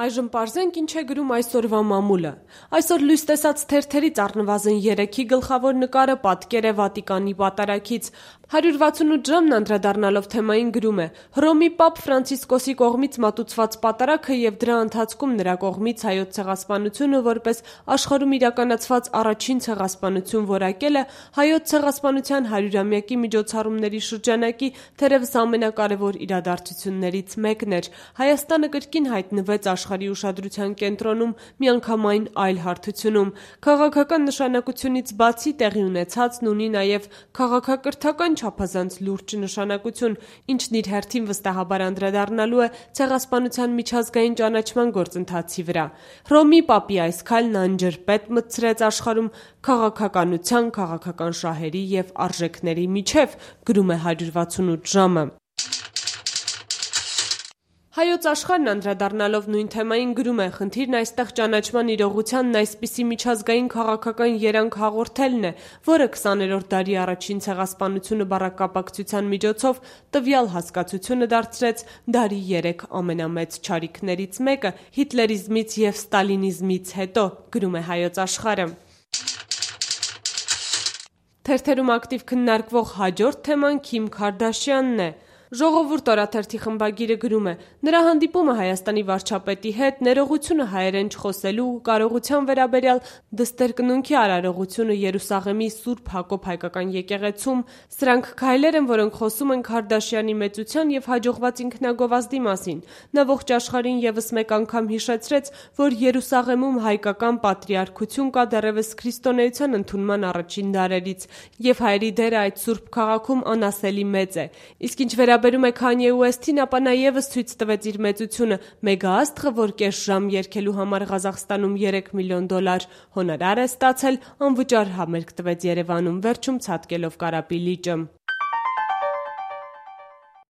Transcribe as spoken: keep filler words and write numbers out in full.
Այժմ պարզենք ինչ է գրում այսօրվա մամուլը։ Այսօր լույս տեսած թերթերից առնվազն երեքի գլխավոր նկարը պատկեր է Վատիկանի պատարագից։ հարյուր վաթսունութ ժամն անդրադառնալով թեմային գրում է. Հռոմի պապ Ֆրանցիսկոսի կողմից մատուցված պատարագը եւ դրա ընթացքում նրա կողմից հայոց ցեղասպանությունը որպես աշխարհում իրականացված առաջին ցեղասպանություն որակելը հայոց ցեղասպանության հարյուրամյակի միջոցառումների շրջանակի թերևս ամենակարևոր իրադարձություններից մեկն էր։ Հայաստանը կրկին հայտնվեց աշխարհի ուշադրության կենտրոնում միանգամայն այլ հարթությունում։ Քաղաքական նշանակությունից բացի տեղի ունեցածն ունի նաև քաղաքակրթական չափազանց լուրջ նշանակություն, ինչն իր հերթին վստահաբար անդրադառնալու է ցեղասպանության միջազգային ճանաչման գործընթացի վրա։ Հռոմի պապի այս քայլն անջրպետ մտցրեց աշխարհում քաղաքականության, քաղաքական շահերի եւ արժեքների միջև, գրում է հարյուր վաթսունութ ժամը։ Հայոց աշխարհն անդրադառնալով նույն թեմային գրում է. խնդիրն այստեղ ճանաչման իրողությանն այսպիսի միջազգային քաղաքական երանգ հաղորդելն է, որը քսաներորդ դարի առաջին ցեղասպանությունը բառակապակցության միջոցով տվյալ հասկացությունը դարձրեց դարի երեք ամենամեծ չարիքներից մեկը հիտլերիզմից եւ ստալինիզմից հետո, գրում է Հայոց աշխարհը։ Թերթերում ակտիվ քննարկվող հաջորդ թեման Քիմ Քարդաշյանն է։ Ժողովուրդ օրաթերթի խմբագիրը գրում է. նրա հանդիպումը Հայաստանի վարչապետի հետ, ներողությունը հայերեն չխոսելու ու կարողության վերաբերյալ դստերկնունքի արարողությունը Երուսաղեմի Սուրբ Հակոբ հայկական եկեղեցում, սրանք քայլեր են, որոնք խոսում են Քարդաշյանի մեծության եւ հաջողված ինքնագովազդի մասին։ Նա ողջ աշխարհին եւս մեկ անգամ հիշեցրեց, որ Երուսաղեմում հայկական պատրիարքություն կա դեռևս քրիստոնեության ընդունման առաջին դարերից, եւ հայերի դերը այդ սուրբ քաղաքում անասելի մեծ է։ Իսկ ինչ վերաբերում է Քանյե Ուեսթին, ապա նա եւս ցույց տվեց իր մեծությունը, մեգաաստղը, որ կես ժամ երգելու համար Ղազախստանում երեք միլիոն դոլար հոնորար է ստացել, անվճար համերգ տվեց Երևանում, վերջում ցատկելով Կարապի լիճը։